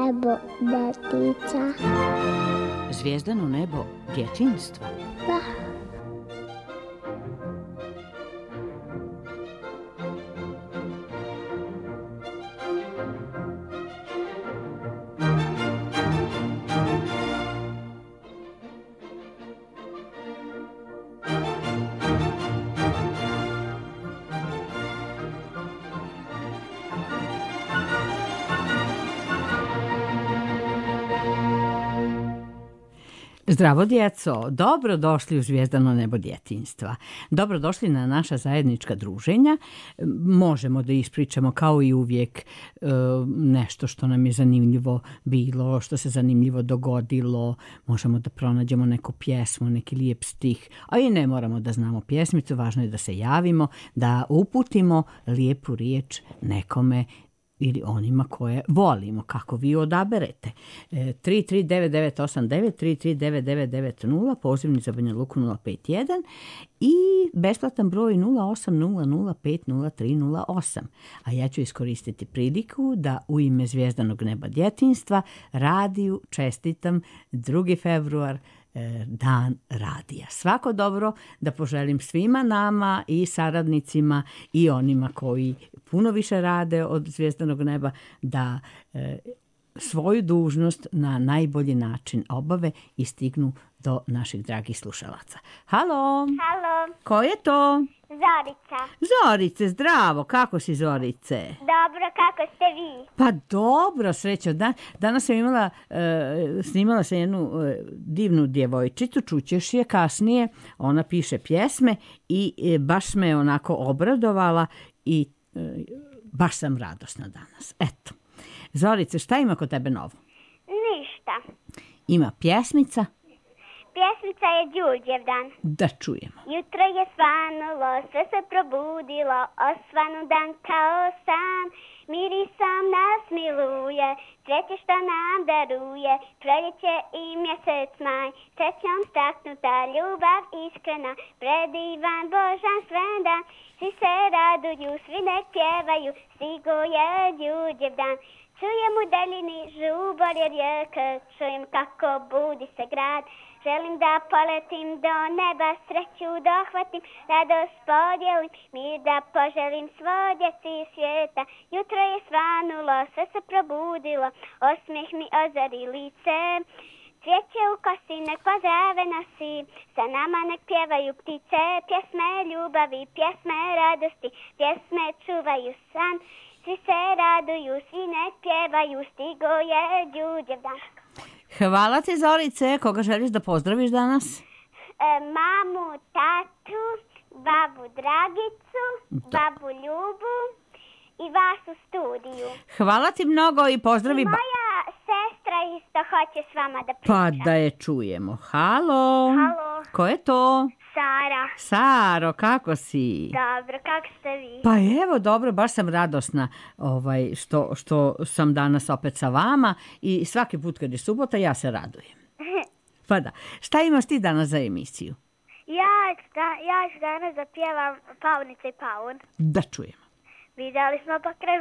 nebo detica. Zvijezdano nebo djetinjstva. Da. Zdravo djeco, dobrodošli u Zvijezdano nebo djetinjstva. Dobrodošli na naša zajednička druženja. Možemo da ispričamo kao i uvijek nešto što nam je zanimljivo bilo, što se zanimljivo dogodilo. Možemo da pronađemo neku pjesmu, neki lijep stih, a i ne moramo da znamo pjesmicu, važno je da se javimo, da uputimo lijepu riječ nekome ili onima koje volimo, kako vi odaberete. 33989, 3399990, pozivni za Banja Luku 051 i besplatan broj 0800503038. A ja ću iskoristiti priliku da u ime Zvijezdanog neba djetinjstva radiju čestitam 2. februar, dan radija. Svako dobro da poželim svima nama i saradnicima i onima koji puno više rade od Zvijezdanog neba da svoju dužnost na najbolji način obave i stignu do naših dragih slušalaca. Halo! Halo, Ko je to? Zorica. Zorice, zdravo! Kako si, Zorice? Dobro, kako ste vi? Pa dobro, srećo. Danas sam snimala sam jednu divnu djevojčicu, čućeš je kasnije. Ona piše pjesme i baš me je onako obradovala i baš sam radosna danas. Eto. Zorice, šta ima kod tebe novo? Ništa. Ima pjesmica? Pjesmica je Đurđevdan. Da čujemo. Jutro je svanulo, sve se probudilo, osvanu dan kao san. Mirisom nas miluje, cveće što nam daruje, proljeće i mjesec maj. Srećom staknuta, ljubav iskrena, predivan Božan svendan. Svi se raduju, svi nek pjevaju, stigo je Đurđevdan. Čujem u daljini žubor je rijeka, čujem kako budi se grad. Želim da poletim do neba, sreću dohvatim, radost podijelim, mir da poželim svoj djeci svijeta. Jutro je svanulo, sve se probudilo, osmijeh mi ozari lice. Cvijeće u kosi nek pozdrave nosi, sa nama nek pjevaju ptice, pjesme ljubavi, pjesme radosti, pjesme čuvaju san. Svi se raduju, svi nek pjevaju, stigo je Đurđevdan. Hvala ti, Zorice. Koga želiš da pozdraviš danas? Mamu, tatu, babu Dragicu, babu Ljubu i vas u studiju. Hvala ti mnogo i pozdravi... Moja sestra isto hoće s vama da priča. Pa da je čujemo. Halo. Halo. Ko je to? Sara. Saro, kako si? Dobro, kako ste vi? Pa evo, dobro, baš sam radosna što sam danas opet sa vama i svaki put kad je subota ja se radujem. Pa da. Šta imaš ti danas za emisiju? Ja ću danas da pjevam Paunica i Paun. Da čujemo. Vidjeli smo pokraj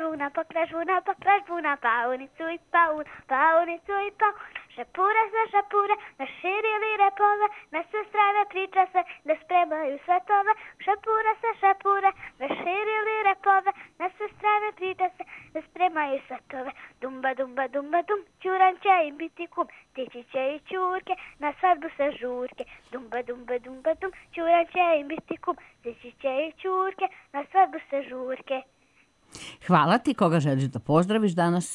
žuna, paunicu i paun, paunicu i paun. Šapura za šapura, naširili repove, na sve strane priča se da spremaju svetove. Šapura sa šapura, naširili repove, na sve strane priča se da spremaju svetove. Dumba, dumba, dumba, dum, Ćuran će im biti kum, tići će i Ćurke, na svadbu sa žurke. Dumba, dumba, dumba, dum, Ćuran će im biti kum, tići će i Ćurke, na svadbu sa žurke. Hvala ti. Koga želiš da pozdraviš danas?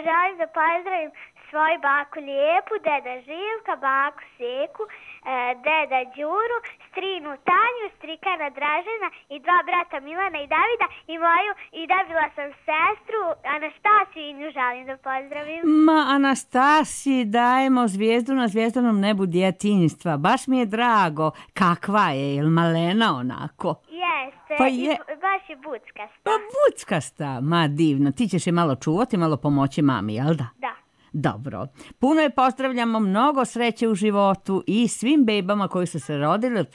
Želim da pozdravim svoju baku Lijepu, deda Živka, baku Seku, deda Đuru, strinu Tanju, strikana Dražena i dva brata Milana i Davida i dobila sam sestru Anastasiju i nju želim da pozdravim. Ma, Anastasiji dajemo zvijezdu na Zvijezdanom nebu djetinjstva. Baš mi je drago. Kakva je? Jel malena onako? Jeste, Pa je. baš je buckasta. Pa buckasta. Ma divno. Ti ćeš je malo čuvati, malo pomoći mami, jel da? Da. Dobro. Puno je pozdravljamo, mnogo sreće u životu i svim bebama koji su se rodili od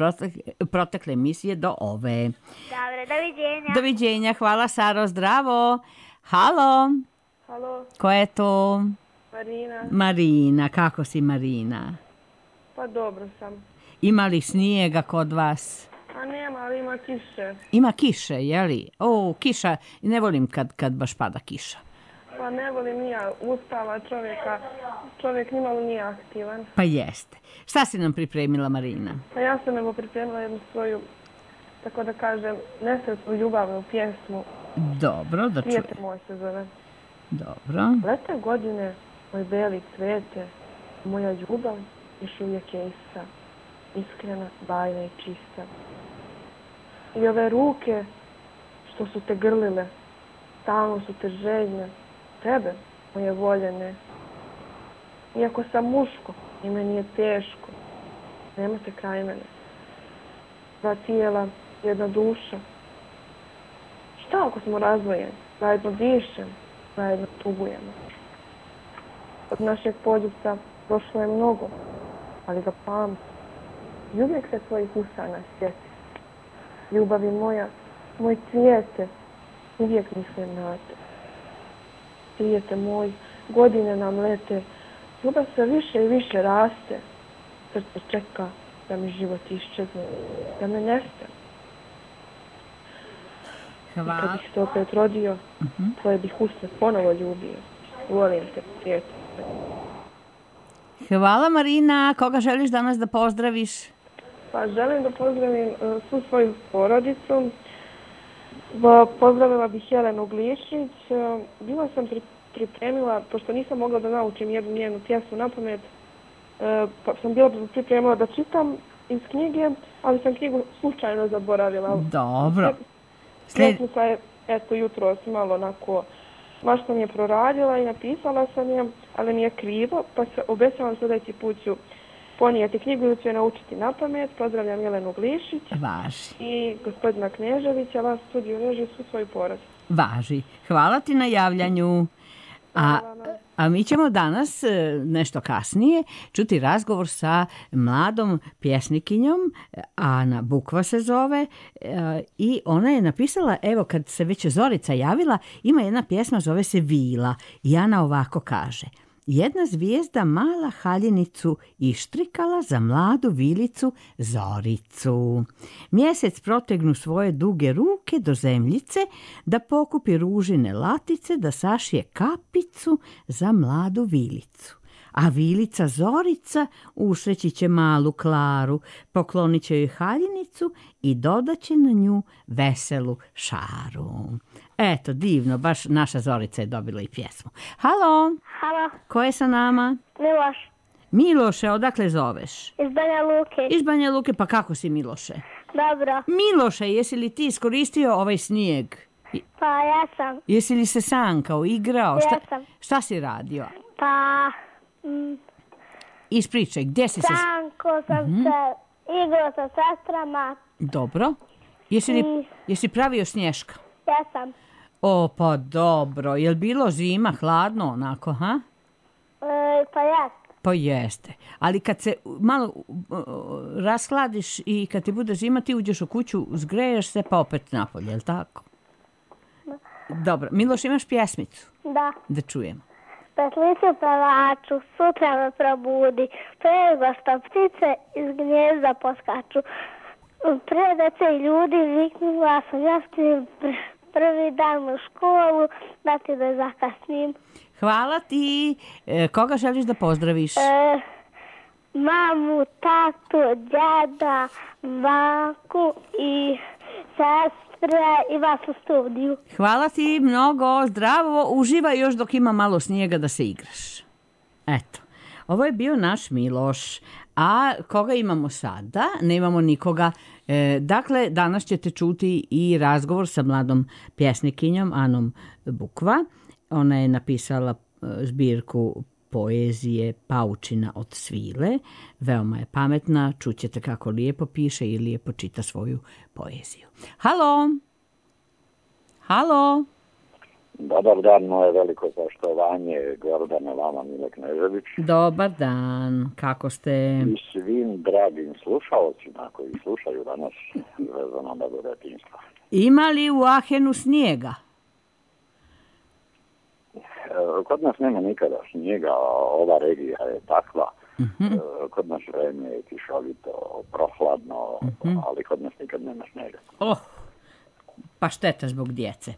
protekle emisije do ove. Dobro, doviđenja. Doviđenja, hvala Saro, zdravo. Halo. Halo, Ko je to? Marina. Marina, kako si Marina? Pa dobro sam. Ima li snijega kod vas? A nema, ali ima kiše. Ima kiše, jeli? O, kiša, ne volim kad baš pada kiša. Pa ne volim ni ja ustava čovjeka. Čovjek nimalo nije aktivan. Pa jeste. Šta si nam pripremila, Marina? Pa ja sam evo pripremila jednu svoju, tako da kažem, nesretnu ljubavnu pjesmu. Dobro, da čujem. Prijatelj moj se zove. Dobro. Lete godine, moj beli cvete, moja ljubav još uvijek je ista. Iskrena, bajna i čista. I ove ruke što su te grlile, stalno su te željne, tebe, moje voljene. Iako sam muško i meni je teško, nema te kraj mene. Dva tijela, jedna duša. Šta ako smo razdvojeni? Zajedno dišem, zajedno tugujemo. Od našeg poljubca prošlo je mnogo, ali ga pamtim. I uvijek se tvojih usana sjeti. Ljubavi moja, moj cvijete, uvijek mislim na te. Cvijete moj, godine nam lete, ljubav sve više i više raste. Srce čeka da mi život iščezne, da me nestane. Hvala. Kad bih se opet rodio, tvoje bih usne ponovo ljubio. Volim te, cvijete. Hvala, Marina. Koga želiš danas da pozdraviš? Pa želim da pozdravim svu svoju porodicu. Pozdravila bih Jelenu Glišić. Bila sam pripremila, pošto nisam mogla da naučim jednu njenu pjesmu na pamet, pa sam bila pripremila da čitam iz knjige, ali sam knjigu slučajno zaboravila. Dobro. Pjesmica je, eto, jutros malo onako, baš sam je proradila i napisala sam je, ali mi je krivo, pa se obećavam sljedeći put ću ponijeti knjigu ili ću je naučiti na pamet. Pozdravljam Jelenu Glišić. Važi. I gospodina Kneževića, vas studiju reži, svu svoju porodicu. Važi. Hvala ti na javljanju. A mi ćemo danas, nešto kasnije, čuti razgovor sa mladom pjesnikinjom, Ana Bukva se zove, i ona je napisala, evo kad se već Zorica javila, ima jedna pjesma, zove se Vila, i Ana ovako kaže: jedna zvijezda mala haljinicu ištrikala za mladu vilicu Zoricu. Mjesec protegnu svoje duge ruke do zemljice, da pokupi ružine latice, da sašije kapicu za mladu vilicu. A vilica Zorica usreći će malu Klaru, poklonit će joj haljinicu i dodaće na nju veselu šaru. Eto, divno, baš naša Zorica je dobila i pjesmu. Halo, Halo, ko je sa nama? Miloš, Miloše, odakle zoveš? iz Banja Luke. Iz Banja Luke, pa kako si Miloše? Dobro, Miloše, jesi li ti iskoristio ovaj snijeg? pa ja sam, Jesi li se sankao, igrao? Jesam. Šta si radio? pa Ispričaj, gdje si se... sanko sam se, igrao sa sestrama, Dobro. Jesi pravio snješka? jesam. O, pa dobro. Jel bilo zima, hladno onako, ha? Pa jes, Pa jeste. Ali kad se malo rashladiš i kad ti bude zima, ti uđeš u kuću, zgreješ se, pa opet napolje, jel tako? Dobro. Miloš, imaš pjesmicu? da. Da čujemo. Petlicu pevaču, sutra me probudi, prego što ptice iz gnjezda poskaču. Predece i ljudi viknu glasom, ja stim prvi dan u školu, da ti da zakasnim. Hvala ti. Koga želiš da pozdraviš? Mamu, tatu, djeda, baku i sestre i vas u studiju. Hvala ti mnogo, zdravo, uživaj još dok ima malo snijega da se igraš. Eto, ovo je bio naš Miloš. A koga imamo sada? Nemamo nikoga. Dakle, danas ćete čuti i razgovor sa mladom pjesnikinjom Anom Bukva. Ona je napisala zbirku poezije Paučina od svile. Veoma je pametna, čućete kako lijepo piše i lijepo čita svoju poeziju. Halo! Halo! Dobar dan, moje veliko poštovanje, Gordana, vama, Mile Knežević. Dobar dan, kako ste? I svim dragim slušalcima koji slušaju danas vezano do detinjstva. Ima li u Ahenu snijega? kod nas nema nikada snijega, ova regija je takva. Kod nas vreme je kišovito, prohladno, ali kod nas nikad nema snijega. Pa šteta zbog djece.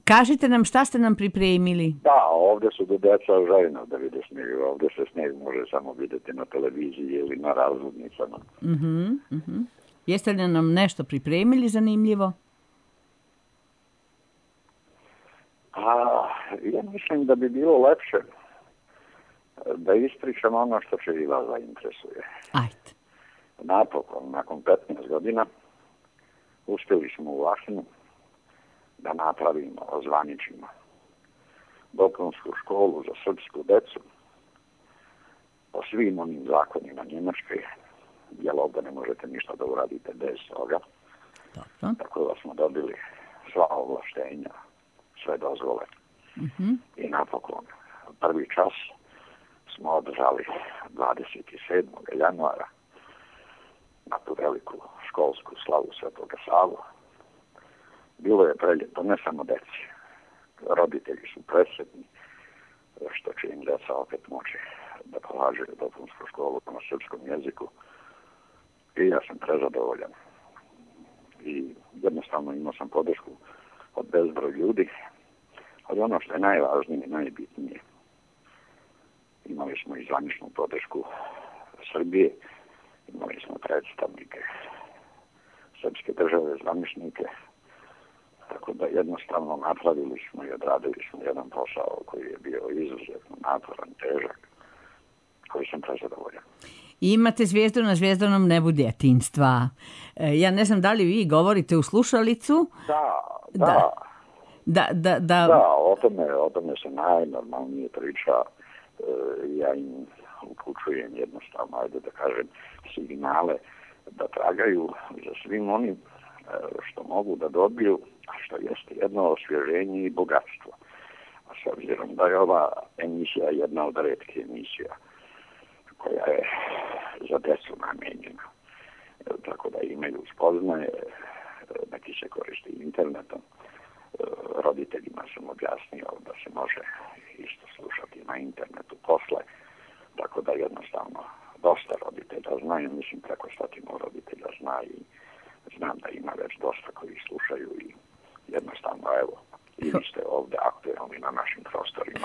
Kažite nam šta ste nam pripremili? Da, ovdje su do djeca željno da vide snijeg. Ovdje se snijeg može samo vidjeti na televiziji ili na razglednicama. Jeste li nam nešto pripremili zanimljivo? Ja mislim da bi bilo lepše da ispričam ono što će i vas zainteresuje. Ajde. Napokon, nakon 15 godina, uspjeli smo u Vlašinu da napravimo, ozvaničimo dopunsku školu za srpsku decu po svim onim zakonima Njemačke, jer ovdje ne možete ništa da uradite bez toga. Dobro. Tako da smo dobili sva ovlaštenja, sve dozvole. I napokon, prvi čas smo održali 27. januara na tu veliku školsku slavu Svetoga Savu. Bilo je preljeto, ne samo deci. Roditelji su presretni što će im djeca opet moći da polažaju dopunsku školu na srpskom jeziku. I ja sam prezadovoljan. I jednostavno imao sam podršku od bezbroj ljudi. Ali ono što je najvažnije i najbitnije, imali smo i zvaničnu podršku Srbije, imali smo predstavnike srpske države, zvaničnike, tako da jednostavno napravili smo i odradili smo jedan posao koji je bio izuzetno naporan, težak, koji sam prezadovoljan. Imate zvijezdu na zvjezdanom nebu djetinjstva. Ja ne znam da li vi govorite u slušalicu? Da, o tome se najnormalnije priča. Ja im upućujem jednostavno, ajde da kažem, signale da tragaju za svim onim što mogu da dobiju, a što jeste jedno osvježenje i bogatstvo. A s obzirom da je ova emisija jedna od retkih emisija koja je za djecu namijenjena, tako da imaju spoznaje, neki se koristi internetom. Roditeljima sam objasnio da se može isto slušati na internetu posle, tako da jednostavno dosta roditelja znaju, mislim preko 100 roditelja zna i znam da ima već dosta koji slušaju i jednostavno evo, i vi ste ovdje aktualni na našim prostorima.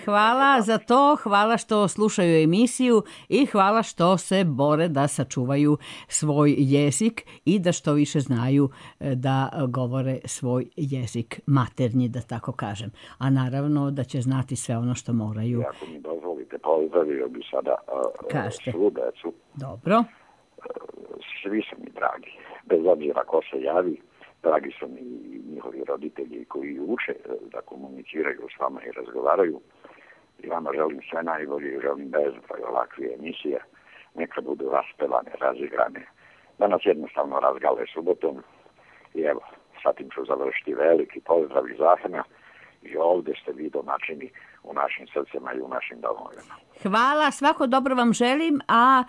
Hvala za to, hvala što slušaju emisiju i hvala što se bore da sačuvaju svoj jezik i da što više znaju da govore svoj jezik maternji, da tako kažem. A naravno da će znati sve ono što moraju. I ako mi dozvolite, pozdravio bi sada svu decu. Dobro. Svi su mi dragi, bez obzira ko se javi. Dragi su mi njihovi roditelji koji uče da komuniciraju s vama i razgovaraju. I vama želim sve najbolje i želim bezbroj ovakve emisije. Neka budu raspevane, razigrane. Da nas jednostavno razgale subotom. I evo, sa tim ću završiti veliki pozdrav iz Ahena. I ovdje ste vi domaćini u našim srcima i u našim domovima. Hvala, svako dobro vam želim, a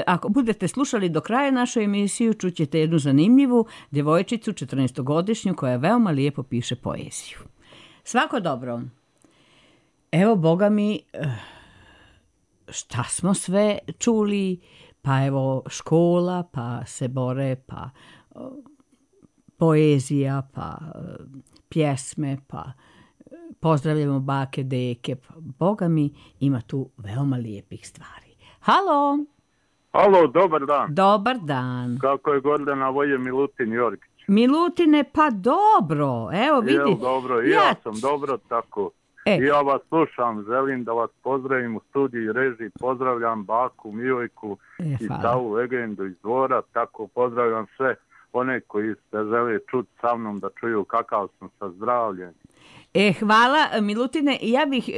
ako budete slušali do kraja našu emisiju, čućete jednu zanimljivu djevojčicu, 14-godišnju, koja veoma lijepo piše poeziju. Svako dobro. Evo, Boga mi, šta smo sve čuli, pa evo škola, pa se bore, pa poezija, pa pjesme, pa pozdravljamo bake, deke, Boga mi, ima tu veoma lijepih stvari. Halo! Halo, dobar dan. Dobar dan. Kako je Gordana, ovo je Milutin Jorgić. Milutine, pa dobro, evo vidi. Evo, dobro, ja sam dobro, tako. Ja vas slušam, želim da vas pozdravim u studiju i režiji, pozdravljam baku, Milojku i Savu legendu iz Dvora, tako pozdravljam sve one koji se žele čuti sa mnom da čuju kakav sam sa zdravljem. Hvala, Milutine. Ja bih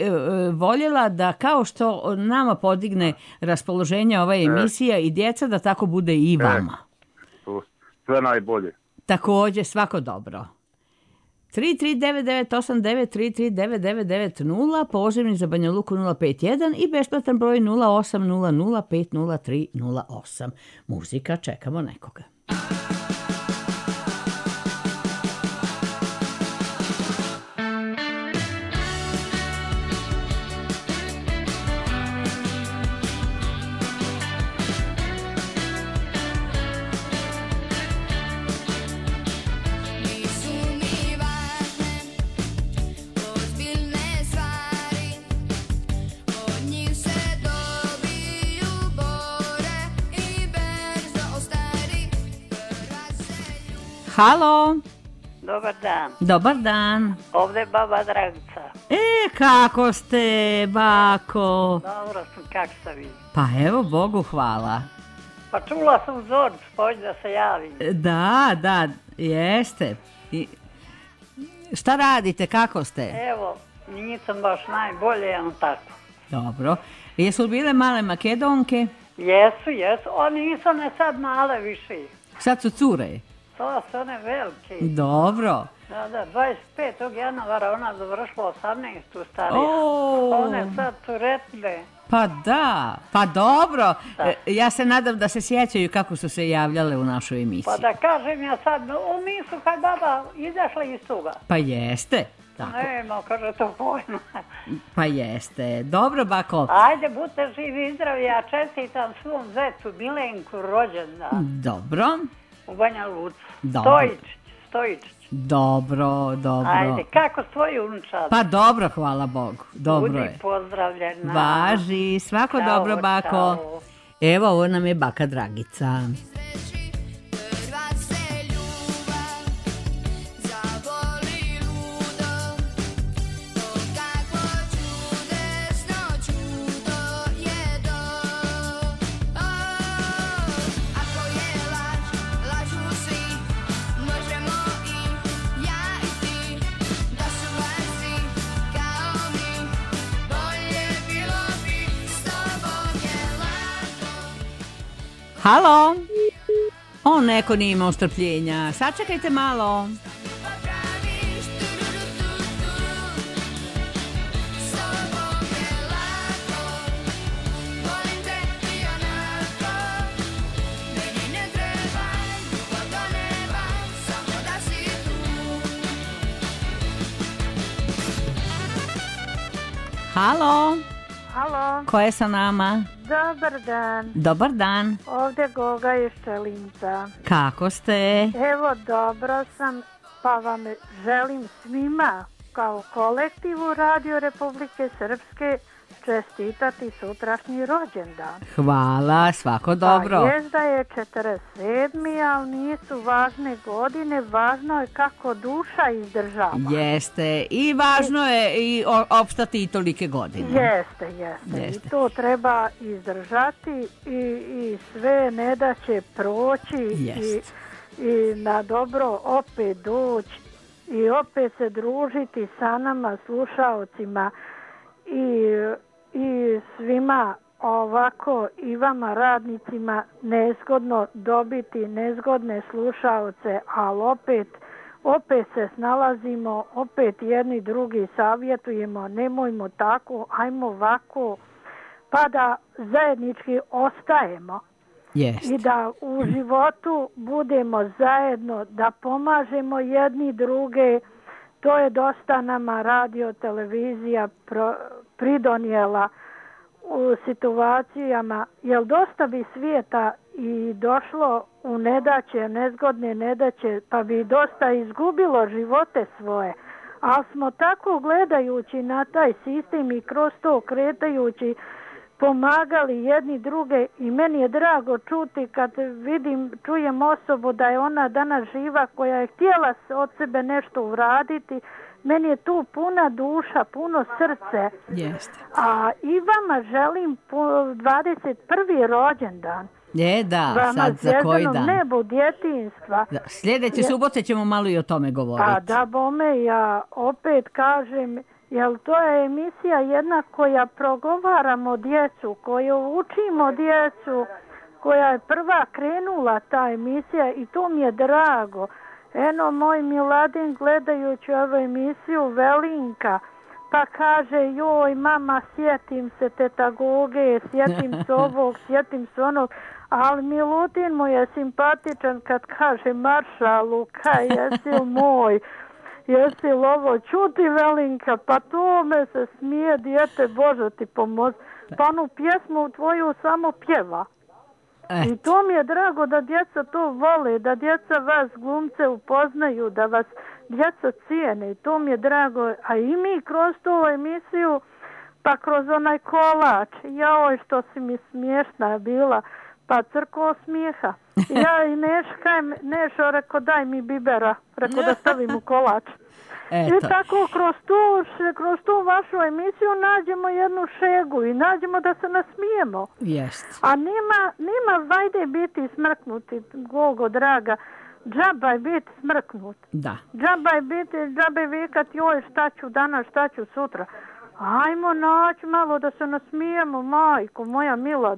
voljela da kao što nama podigne raspoloženje ova emisija i djeca, da tako bude i vama. Sve najbolje. Također, svako dobro. 3399893 3399990, pozivni za Banja Luku 051 i besplatan broj 0800500308. Muzika, čekamo nekoga. Halo. Dobar dan. Dobar dan. Ovdje je baba Dragica. Kako ste, bako? Dobro sam, kako ste vi? Pa evo, Bogu hvala. Pa čula sam Zoricu, pođi da se javim. Da, jeste. Šta radite, kako ste? Evo, nisam baš najbolje, tako. Dobro. Jesu li bile male Makedonke? Jesu. Oni nisu ne sad male više. Sad su cure? To su one velike. Dobro. Da, 25. januara ona završila 18. starija. One sad curetne. Pa dobro. Ja se nadam da se sjećaju kako su se javljale u našoj emisiji. Pa da kažem ja sad, nisu kad baba izašla iz toga. Pa jeste. Tako. Nema, kaže to pojma. Pa jeste. Dobro, bako. Ajde, budite živi i zdravi, ja čestitam svom zecu Milenku rođendan. Dobro. U Banja Luci. Stojičić. Dobro. Ajde, kako svoju unučad? Pa dobro, hvala Bogu. Dobro Budi je. pozdravljena. Važi, svako čao, dobro, bako. Čao. Evo, ovo nam je baka Dragica. Halo? Neko nije imao strpljenja. Sačekajte malo. Halo? Halo. Ko je sa nama? Dobar dan. Dobar dan. Ovdje Goga iz Čelinca. Kako ste? Evo, dobro sam, pa vam želim svima kao kolektivu Radio Republike Srpske čestitati sutrašnji rođendan. Hvala, svako dobro. Pa jest da je 47. ali nisu važne godine, važno je kako duša izdržava. Jeste, i važno je i opstati i tolike godine. Jeste. I to treba izdržati i sve ne da će proći i na dobro opet doći i opet se družiti sa nama slušaocima i svima ovako i vama radnicima nezgodno dobiti nezgodne slušaoce, ali opet se snalazimo, opet jedni drugi savjetujemo, nemojmo tako, ajmo ovako, pa da zajednički ostajemo. Jest. I da u životu budemo zajedno, da pomažemo jedni druge. To je dosta nama radio, televizija pridonijela u situacijama, jer dosta bi svijeta i došlo u nedaće, nezgodne nedaće, pa bi dosta izgubilo živote svoje. Ali smo tako gledajući na taj sistem i kroz to kretajući pomagali jedni druge i meni je drago čuti kad čujem osobu da je ona danas živa koja je htjela od sebe nešto uraditi. Meni je tu puna duša, puno srce. Jeste. A i vama želim 21. rođendan. Da, sad za koji dan? Nebu djetinjstva. Sljedeće subote ćemo malo i o tome govoriti. Pa da bome, ja opet kažem, jer to je emisija jedna koja progovaramo djecu, koju učimo djecu, koja je prva krenula ta emisija i to mi je drago. Eno, moj Miladin gledajući ovu emisiju Velinka, pa kaže, joj mama, sjetim se teta Goge, sjetim se ovog, sjetim se onog, ali Milutin mu je simpatičan kad kaže maršalu, kaj jesi moj, jesi li ovo čuti Velinka, pa to me se smije, dijete, Bože ti pomozi, pa onu pjesmu tvoju samo pjeva. I to mi je drago da djeca to vole, da djeca vas glumce upoznaju, da vas djeca cijene i to mi je drago. A i mi kroz tu emisiju, pa kroz onaj kolač, joj što si mi smiješna bila, Pa crko smijeha. Ja i Nešo rekao daj mi bibera, rekao da stavim u kolač. Eto. I tako kroz tu vašu emisiju nađemo jednu šegu i nađemo da se nasmijemo. Jest. A nima vajde biti smrknuti, Gogo draga. Džaba je biti smrknut. Da. Džaba je vikati joj šta ću danas, šta ću sutra. Ajmo naći malo da se nasmijemo, majko moja mila,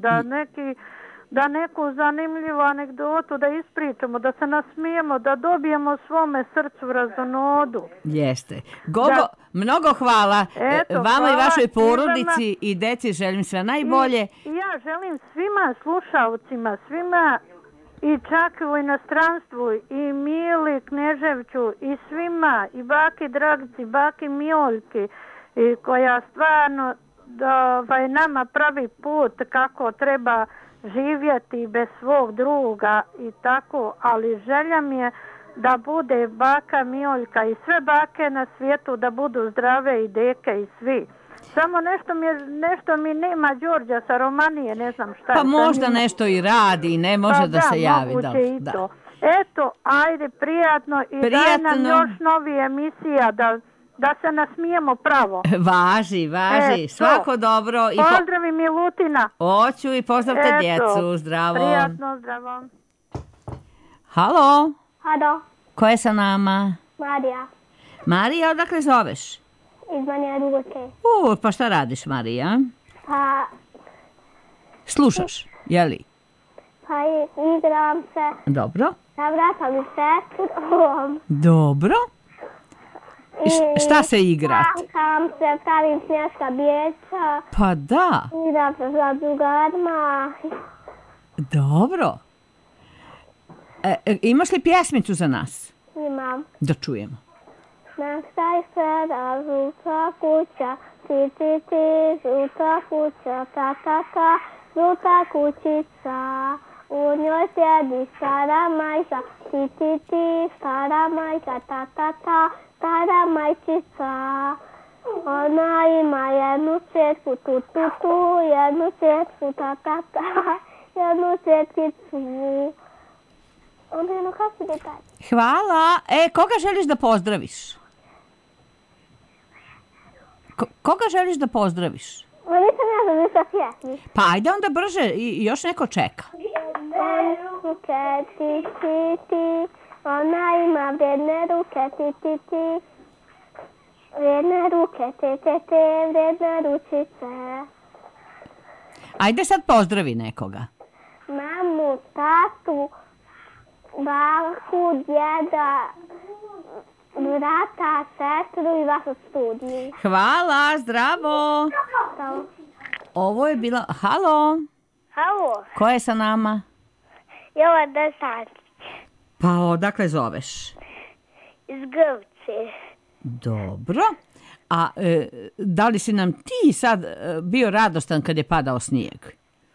da neku zanimljivu anegdotu da ispričamo, da se nasmijemo, da dobijemo svome srcu razonodu. Jeste. Gogo, mnogo hvala. Vama i vašoj porodici i deci želim sve najbolje. I ja želim svima slušalcima, svima i čak u inostranstvu i Mili Kneževću i svima, i baki Dragici, baki Mijoljki, i koja stvarno nama pravi put kako treba živjeti bez svog druga i tako, ali želja mi je da bude baka Mijoljka i sve bake na svijetu da budu zdrave i deke i svi. Samo nešto mi nema Đorđa sa Romanije, ne znam šta. Pa možda nešto i radi i ne može da se javi. Pa da, moguće i to. Eto, ajde, prijatno i daj nam još novi emisija da se nasmijemo pravo. Važi. Svako dobro. Pozdravi Milutina. Hoću i pozdravite djecu. Zdravo. Prijatno, zdravo. Halo. Halo. Ko je sa nama? Marija. Marija, odakle zoveš? Iz Banja Luke. Pa šta radiš, Marija? Pa... Slušaš, jeli? Pa igram se. Dobro. Zavratam i sestrom. Dobro. Šta se igrat? Plankam se, pravim snješka bijeća. Pa da. Igram se za drugarima. Dobro. Imaš li pjesmicu za nas? Imam. Da čujemo. Na kraj sela žuta kuća, ti, žuta kuća, ta, žuta kućica. U njoj sjedi stara majka, ti, stara majka, ta, stara majčica. Ona ima jednu četku, tu, jednu četku, ta, jednu četkicu. Onda jedno kako se detalj. Hvala. Koga želiš da pozdraviš? Koga želiš da pozdraviš? Ma nisam ja završila pjesmi. Pa ajde onda brže, još neko čeka. Ti, ona ima vredne ruke, ti. Vredne ruke, te, vredne ručice. Ajde sad pozdravi nekoga. Mamu, tatu, baku, djeda, brata, sestru i vašu studiju. Hvala, zdravo. Ovo je bila... Halo. Halo. Ko je sa nama? Jovana Sančić. Pa odakle zoveš? Iz Grčke. Dobro. A da li si nam ti sad bio radostan kad je padao snijeg?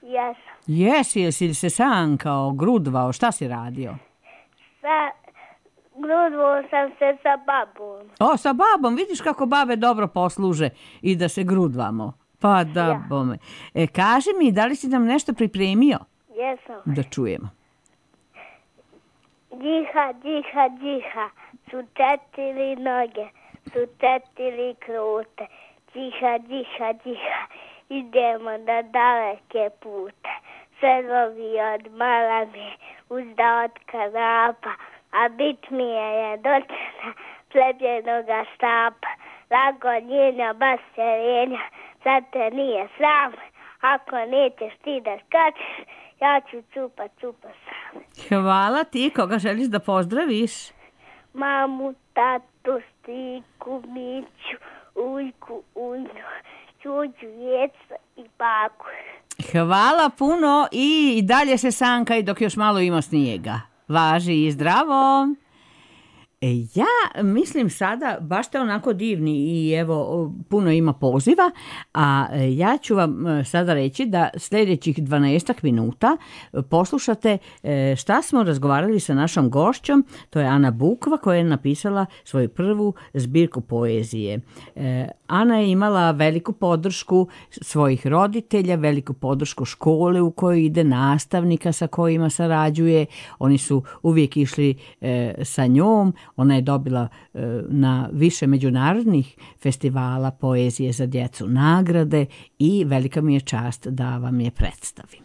Jesam. Jesi se sankao, grudvao, šta si radio? Grudvao sam se sa babom. Sa babom, vidiš kako babe dobro posluže i da se grudvamo. Pa da bome. Kaži mi, da li si nam nešto pripremio? Jesam. Da čujemo. Džiha, su 4 noge, su 4 krute. Džiha, idemo na daleke pute. Sve novi od malami, uzda od kanapa, a bit mi je dočena plepljenoga štapa. Lago njenja baserenja, sad te nije sram, ako nećeš ti da skačeš, ja ću cupa sam. Hvala ti, koga želiš da pozdraviš? Mamu, tatu, striku, miću, ujku, unju, čuđu, djeca i baku. Hvala puno i dalje se sankaj dok još malo ima snijega. Važi i zdravo. Ja mislim sada, baš ste onako divni i evo puno ima poziva, a ja ću vam sada reći da sljedećih 12 minuta poslušate šta smo razgovarali sa našom gošćom, to je Ana Bukva koja je napisala svoju prvu zbirku poezije. Ana je imala veliku podršku svojih roditelja, veliku podršku škole u kojoj ide, nastavnika sa kojima sarađuje, oni su uvijek išli sa njom. Ona je dobila na više međunarodnih festivala poezije za djecu nagrade i velika mi je čast da vam je predstavim.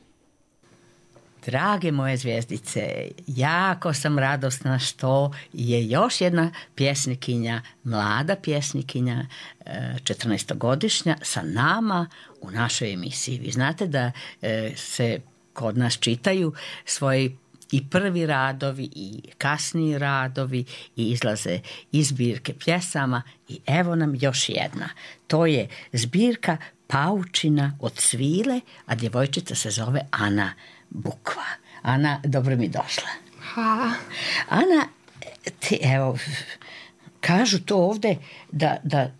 Drage moje zvijezdice, jako sam radosna što je još jedna pjesnikinja, mlada pjesnikinja, 14-godišnja, sa nama u našoj emisiji. Vi znate da se kod nas čitaju svoji i prvi radovi i kasniji radovi i izlaze iz zbirke pjesama i evo nam još jedna. To je zbirka Paučina od svile, a djevojčica se zove Ana Bukva. Ana, dobro mi došla. Hvala. Ana, ti evo, kažu to ovdje da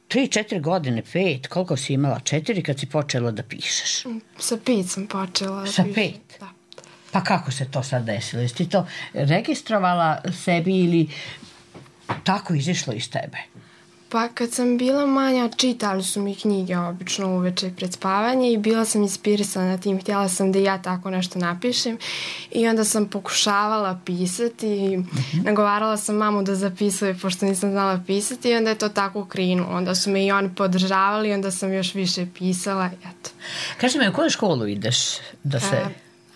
3-4 godine, 5, koliko si imala? 4 kad si počela da pišeš? Sa 5 sam počela. Sa 5? Da. Pa kako se to sad desilo? Jesi ti to registrovala sebi ili tako izišlo iz tebe? Pa kad sam bila manja, čitali su mi knjige obično uveče pred spavanje i bila sam inspirisana tim. Htjela sam da ja tako nešto napišem i onda sam pokušavala pisati i nagovarala sam mamu da zapisuje pošto nisam znala pisati i onda je to tako krenulo. Onda su me i oni podržavali i onda sam još više pisala. Eto. Kaži mi, u koju školu ideš da se...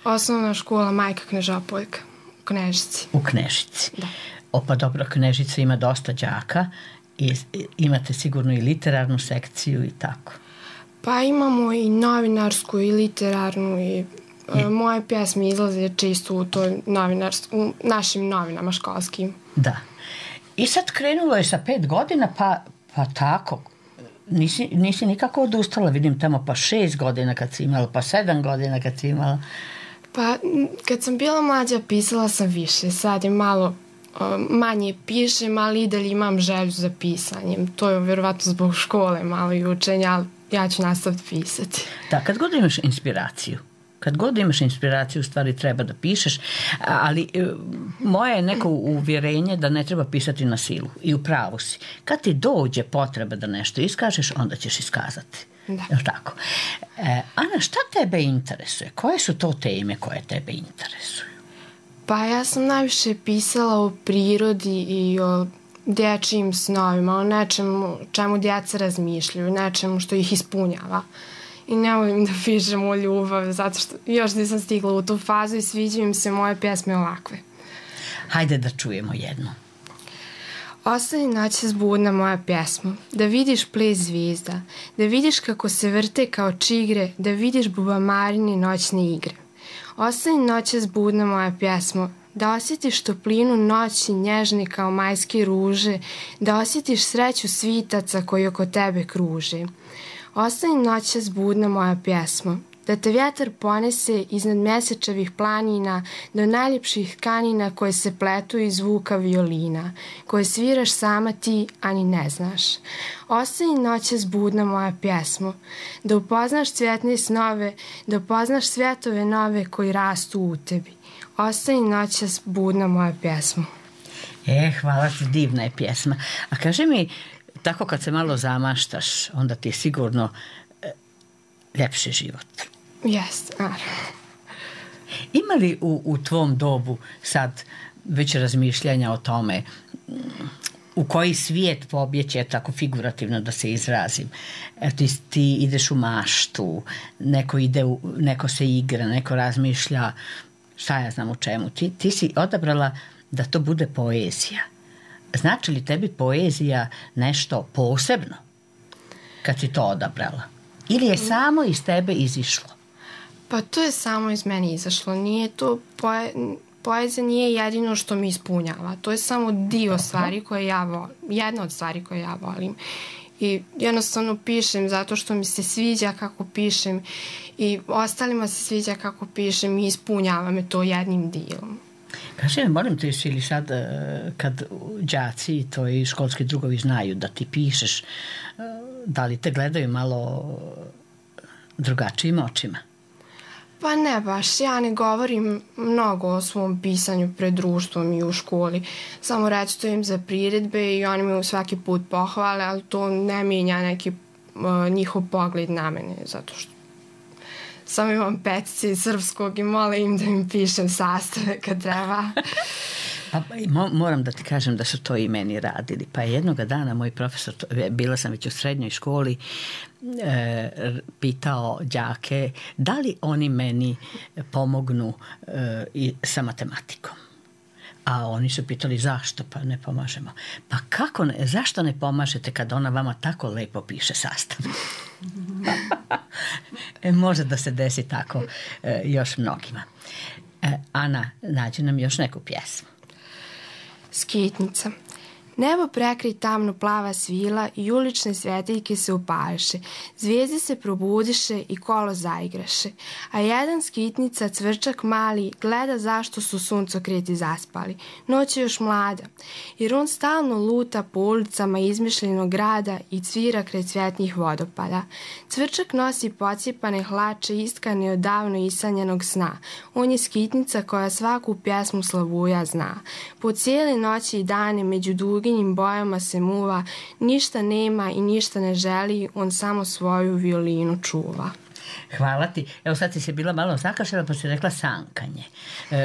Osnovna škola Majka Knežopoljka u Knežici. U Knežici. Da. Pa dobro, Knežica ima dosta đaka i imate sigurno i literarnu sekciju i tako. Pa imamo i novinarsku i literarnu i moje pjesme izlaze često u našim novinama školskim. Da. I sad krenulo je sa 5 godina, pa tako. Nisi nikako odustala, vidim tamo pa 6 godina kad si imala, pa 7 godina kad si imala. Pa kad sam bila mlađa pisala sam više, sad je malo manje pišem, ali i dalje imam želju za pisanjem. To je vjerovatno zbog škole malo i učenja, ali ja ću nastaviti pisati. Da, kad god imaš inspiraciju, u stvari treba da pišeš, ali moje je neko uvjerenje da ne treba pisati na silu i u pravu si. Kad ti dođe potreba da nešto iskažeš, onda ćeš iskazati. Da. Je li tako? Ana, šta tebe interesuje? Koje su to teme koje tebe interesuju? Pa ja sam najviše pisala o prirodi i o dječjim snovima, o nečemu čemu djeca razmišljaju, nečemu što ih ispunjava. I ne volim da pišem o ljubavi, zato što još nisam stigla u tu fazu i sviđaju im se moje pjesme ovakve. Hajde da čujemo jednu. Ostani noćas budna moja pjesma, da vidiš ples zvijezda, da vidiš kako se vrte kao čigre, da vidiš bubamarine noćne igre. Ostani noćas budna moja pjesma, da osjetiš toplinu noći nježne kao majske ruže, da osjetiš sreću svitaca koji oko tebe kruže. Ostani noćas budna moja pjesma, da te vjetar ponese iznad mjesečevih planina do najljepših tkanina koje se pletu iz zvuka violina, koje sviraš sama ti, a ni ne znaš. Ostani noćas budna moja pjesma, da upoznaš cvjetne snove, da upoznaš svjetove nove koji rastu u tebi. Ostani noćas budna moja pjesma. Hvala ti, divna je pjesma. A kaži mi, tako kad se malo zamaštaš, onda ti je sigurno ljepši život. Jeste, naravno. Ima li u tvom dobu sad već razmišljanja o tome u koji svijet pobjeći, tako figurativno da se izrazim? Ti ideš u maštu, neko se igra, neko razmišlja, šta ja znam u čemu. Ti si odabrala da to bude poezija. Znači li tebi poezija nešto posebno kad si to odabrala? Ili je samo iz tebe izišlo? Pa to je samo iz mene izašlo. Nije to poezija nije jedino što mi ispunjava. To je samo dio stvari koje ja volim. Jedna od stvari koje ja volim. I jednostavno pišem zato što mi se sviđa kako pišem i ostalima se sviđa kako pišem i ispunjava me to jednim dijelom. Kaži mi, molim te, jesi li sad kad đaci i tvoji školski drugovi znaju da ti pišeš, da li te gledaju malo drugačijim očima? Pa ne baš, ja ne govorim mnogo o svom pisanju pred društvom i u školi. Samo recitujem za priredbe i oni me svaki put pohvale, ali to ne mijenja neki njihov pogled na mene, zato što samo imam petice iz srpskog i molim im da im pišem sastave kad treba. Pa, moram da ti kažem da su to i meni radili. Pa jednoga dana moj profesor, bila sam već u srednjoj školi, pitao đake da li oni meni pomognu sa matematikom. A oni su pitali zašto, pa ne pomažemo. Pa kako ne, zašto ne pomažete kad ona vama tako lepo piše sastav? Može da se desi tako još mnogima. Ana, nađi nam još neku pjesmu. Skitnica. Nebo prekri tamno plava svila i ulične svetiljke se upališe. Zvijezde se probudiše i kolo zaigraše. A jedan skitnica, cvrčak mali, gleda zašto su suncokreti zaspali. Noć je još mlada, jer on stalno luta po ulicama izmišljenog grada i cvira kraj cvjetnih vodopada. Cvrčak nosi pocijepane hlače iskane od davno isanjenog sna. On je skitnica koja svaku pjesmu slavuja zna. Po cijele noći i dane među dugim bojama se muva, ništa nema i ništa ne želi, on samo svoju violinu čuva. Hvala ti. Evo sad si se bila malo zakašljala pa si rekla sankanje.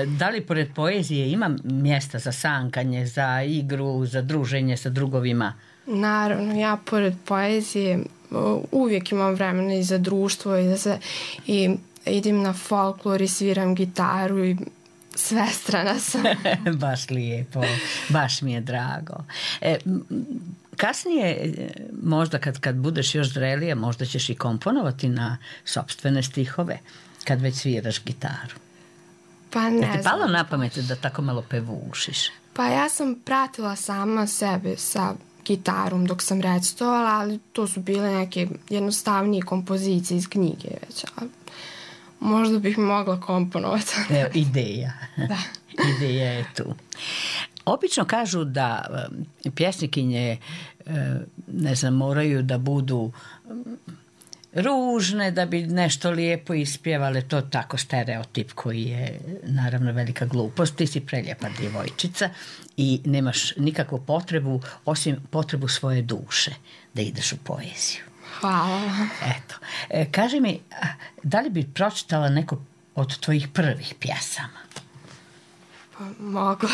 Da li pored poezije ima mjesta za sankanje, za igru, za druženje sa drugovima? Naravno, ja pored poezije uvijek imam vremena i za društvo i idem na folklor i sviram gitaru i svestrana sam. Baš lijepo, baš mi je drago. Kasnije, možda kad budeš još zrelija, možda ćeš i komponovati na sopstvene stihove, kad već sviraš gitaru. Pa ne znam. Ti palo na pamet da tako malo pevušiš? Pa ja sam pratila sama sebe sa gitarom dok sam recitovala, ali to su bile neke jednostavnije kompozicije iz knjige već, ali možda bih mogla komponovati. Evo, ideja. Da. Ideja je tu. Obično kažu da pjesnikinje, ne znam, moraju da budu ružne da bi nešto lijepo ispjevale. To tako stereotip koji je naravno velika glupost. Ti si prelijepa djevojčica i nemaš nikakvu potrebu osim potrebu svoje duše da ideš u poeziju. Hvala. Eto. Kaži mi, da li bi pročitala neko od tvojih prvih pjesama? Pa mogla.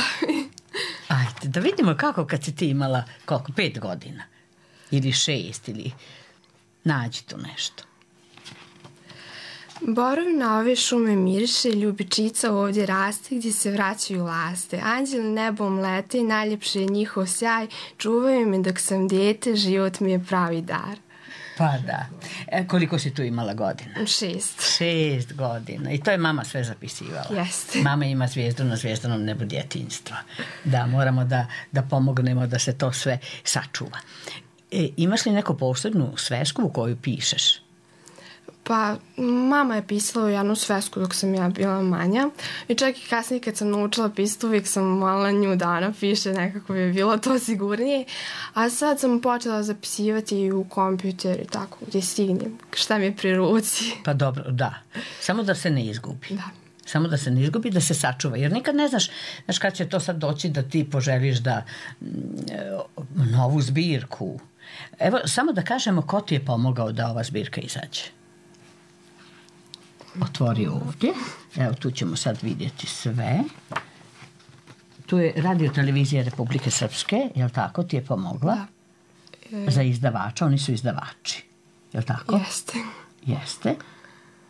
Ajde, da vidimo kako kad si ti imala, koliko, 5 godina? Ili 6, ili nađi tu nešto. Borovi na ove šume miriše, ljubičica ovdje raste gdje se vraćaju laste. Anđeli nebom lete i najljepši je njihov sjaj, čuvaju me dok sam dijete, život mi je pravi dar. Pa da. Koliko si tu imala godina? 6. 6 godina. I to je mama sve zapisivala. Jeste. Mama ima zvijezdu na zvijezdanom nebu djetinjstva. Da, moramo da pomognemo da se to sve sačuva. Imaš li neku posebnu svesku u koju pišeš? Pa, mama je pisala jednu svesku dok sam ja bila manja i čak i kasnije kad sam naučila pisati uvijek sam molila nju da ona piše, nekako bi bilo to sigurnije, a sad sam počela zapisivati i u kompjuter i tako gdje stignem, šta mi je pri ruci. Pa dobro, da. Samo da se ne izgubi. Da. Samo da se ne izgubi, da se sačuva. Jer nikad ne znaš kad će to sad doći da ti poželiš da novu zbirku. Evo, samo da kažemo ko ti je pomogao da ova zbirka izađe. Otvori ovdje. Evo, tu ćemo sad vidjeti sve. Tu je Radio Televizija Republike Srpske, jel tako, ti je pomogla? Da. Za izdavača, oni su izdavači. Jel tako? Jeste. Jeste.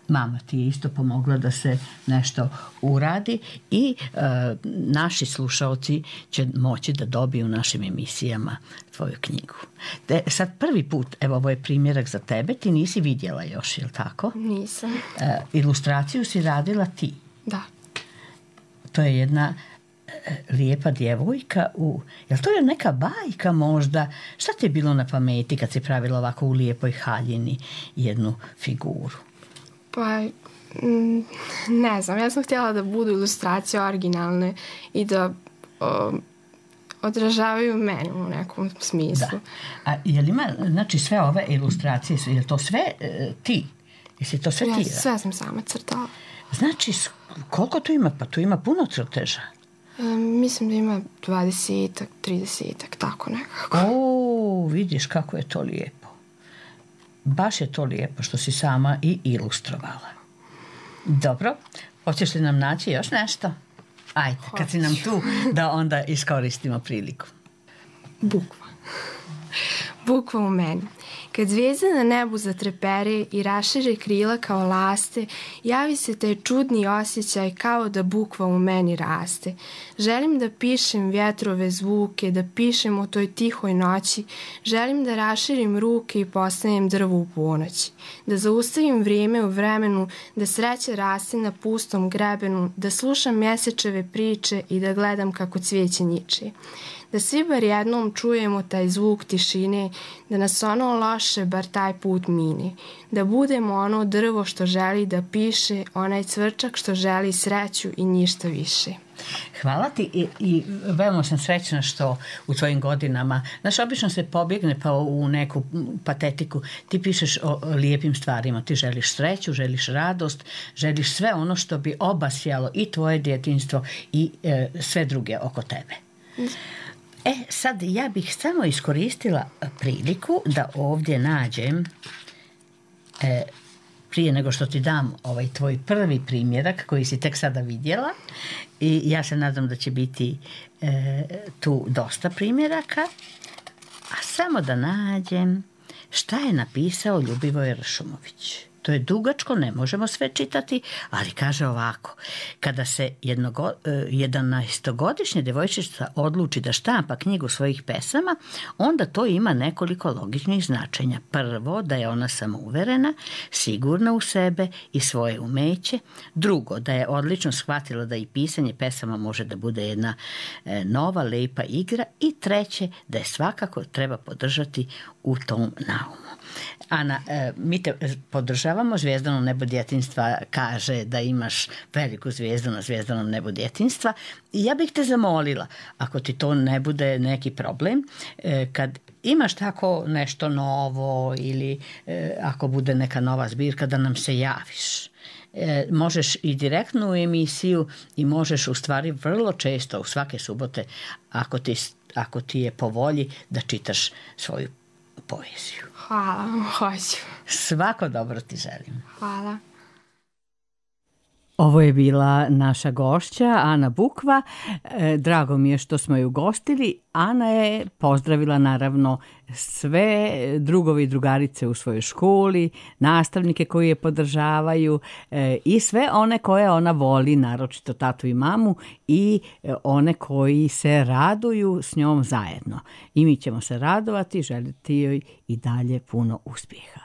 Mama ti je isto pomogla da se nešto uradi i naši slušalci će moći da dobiju u našim emisijama tvoju knjigu. Sad prvi put, evo ovo je primjerak za tebe, ti nisi vidjela još, je li tako? Nisam. Ilustraciju si radila ti. Da. To je jedna lijepa djevojka jel to je neka bajka možda? Šta ti je bilo na pameti kad si pravila ovako u lijepoj haljini jednu figuru? Pa Ne znam, ja sam htjela da budu ilustracije originalne i da odražavaju mene u nekom smislu. Da. A je li ima, znači sve ove ilustracije, je to sve ti? Jesi to sve ti? Sve sam sama crtala. Znači, koliko tu ima? Pa tu ima puno crteža. Mislim da ima 20-ak, 30-ak, tako nekako. Vidiš kako je to lijepo. Baš je to lijepo što si sama i ilustrovala. Dobro, hoćeš li nam naći još nešto? Ajde, kad si nam tu, da onda iskoristimo priliku. Bukva. Bukva u meni. Kad zvijezde na nebu zatrepere i rašire krila kao laste, javi se taj čudni osjećaj kao da bukva u meni raste. Želim da pišem vjetrove zvuke, da pišem o toj tihoj noći, želim da raširim ruke i postanem drvo u ponoći, da zaustavim vrijeme u vremenu, da sreća raste na pustom grebenu, da slušam mjesečeve priče i da gledam kako cvijeće niče. Da svi bar jednom čujemo taj zvuk tišine, da nas ono loše bar taj put mine, da budemo ono drvo što želi da piše, onaj cvrčak što želi sreću i ništa više. Hvala ti i veoma sam srećna što u tvojim godinama, znaš, obično se pobjegne pa u neku patetiku, ti pišeš o lijepim stvarima, ti želiš sreću, želiš radost, želiš sve ono što bi obasjalo i tvoje djetinjstvo i sve druge oko tebe. Sad ja bih samo iskoristila priliku da ovdje nađem, prije nego što ti dam ovaj tvoj prvi primjerak koji si tek sada vidjela, i ja se nadam da će biti tu dosta primjeraka, a samo da nađem šta je napisao Ljubivoj Ršumović. To je dugačko, ne možemo sve čitati, ali kaže ovako: kada se 11-godišnja djevojčica odluči da štampa knjigu svojih pesama, onda to ima nekoliko logičnih značenja. Prvo, da je ona samouverena, sigurna u sebe i svoje umeće. Drugo, da je odlično shvatila da i pisanje pesama može da bude jedna nova, lepa igra. I treće, da je svakako treba podržati u tom naumu. Ana, mi te podržavamo. Zvijezdano nebo djetinjstva kaže da imaš veliku zvijezdu na zvijezdanom nebu djetinjstva. I ja bih te zamolila, ako ti to ne bude neki problem, kad imaš tako nešto novo ili ako bude neka nova zbirka, da nam se javiš. Možeš i direktno u emisiju i možeš u stvari vrlo često, u svake subote, ako ti je po volji, da čitaš svoju poeziju. Hvala, hoću. Svako dobro ti želim. Hvala. Ovo je bila naša gošća, Ana Bukva. Drago mi je što smo ju gostili. Ana je pozdravila naravno sve drugovi i drugarice u svojoj školi, nastavnike koji je podržavaju i sve one koje ona voli, naročito tatu i mamu, i one koji se raduju s njom zajedno. I mi ćemo se radovati, želiti joj i dalje puno uspjeha.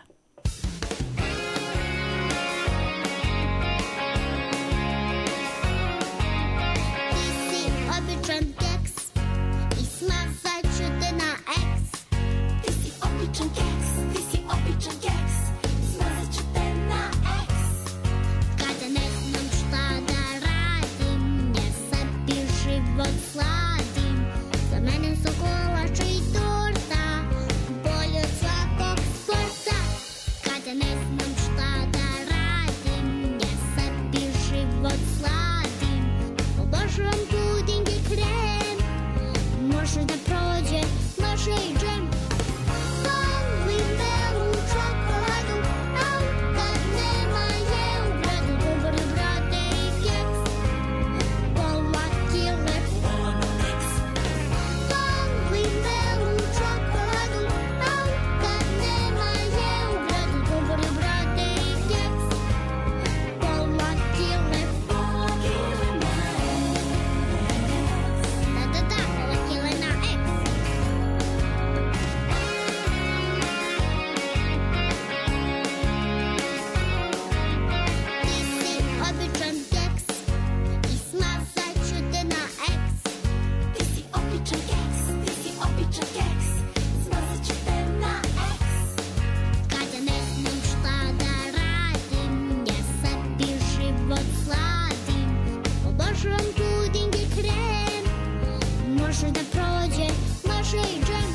može da prođe, može i džem.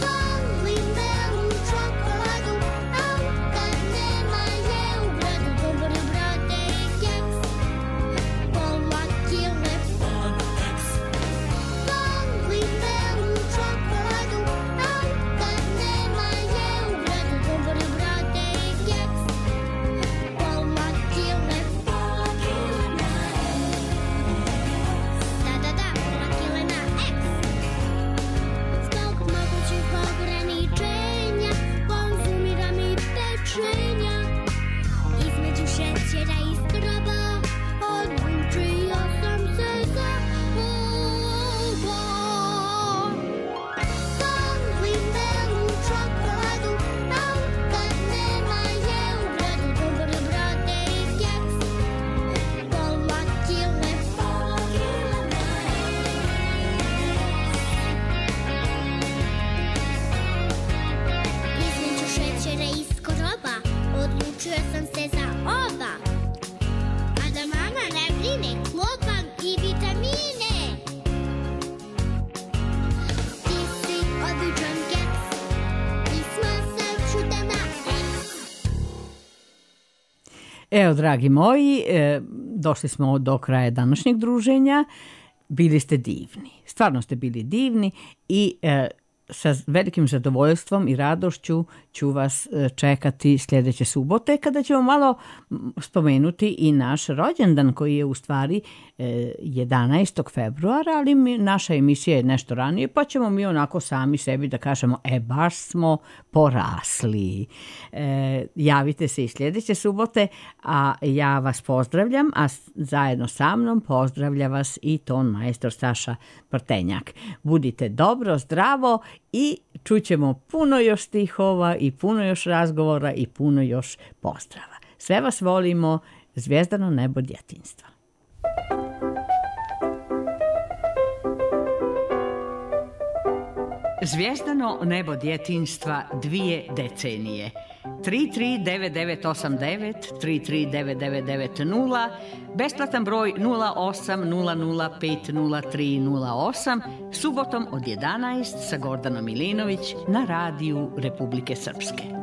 Volim belu čokoladu, a kad nema je u gradu dobre brade i keks. Pola kile Bonex. Volim belu čokoladu, a kad nema je u gradu dobre brade i keks. Pola kile na da, pola kile na X. Zbog mogućih ograničenja konzumiram i pečenja. Između šećera i skraba odlučio sam se za ovo. Volim belu čokoladu, a kad nema je u gradu dobre brade i keks. Pola kile na Između šećera i skroba odlučio sam se za ova. A da mama ne brine, klopam i vitamine. Ti si običan keks, pisma sam čuda na X. Evo, dragi moji, došli smo do kraja današnjeg druženja. Bili ste divni. Stvarno ste bili divni i sa velikim zadovoljstvom i radošću ću vas čekati sljedeće subote kada ćemo malo spomenuti i naš rođendan koji je u stvari 11. februara, ali naša emisija je nešto ranije, pa ćemo mi onako sami sebi da kažemo baš smo porasli. Javite se i sljedeće subote, a ja vas pozdravljam, a zajedno sa mnom pozdravlja vas i ton majstor Saša Prtenjak. Budite dobro, zdravo i čućemo puno još stihova i puno još razgovora i puno još pozdrava. Sve vas volimo, zvijezdano nebo djetinjstva. Zvijezdano nebo djetinjstva 2 decenije. 339989, 339990, besplatan broj 0800500308, subotom od 11 sa Gordanom Milinović na radiju Republike Srpske.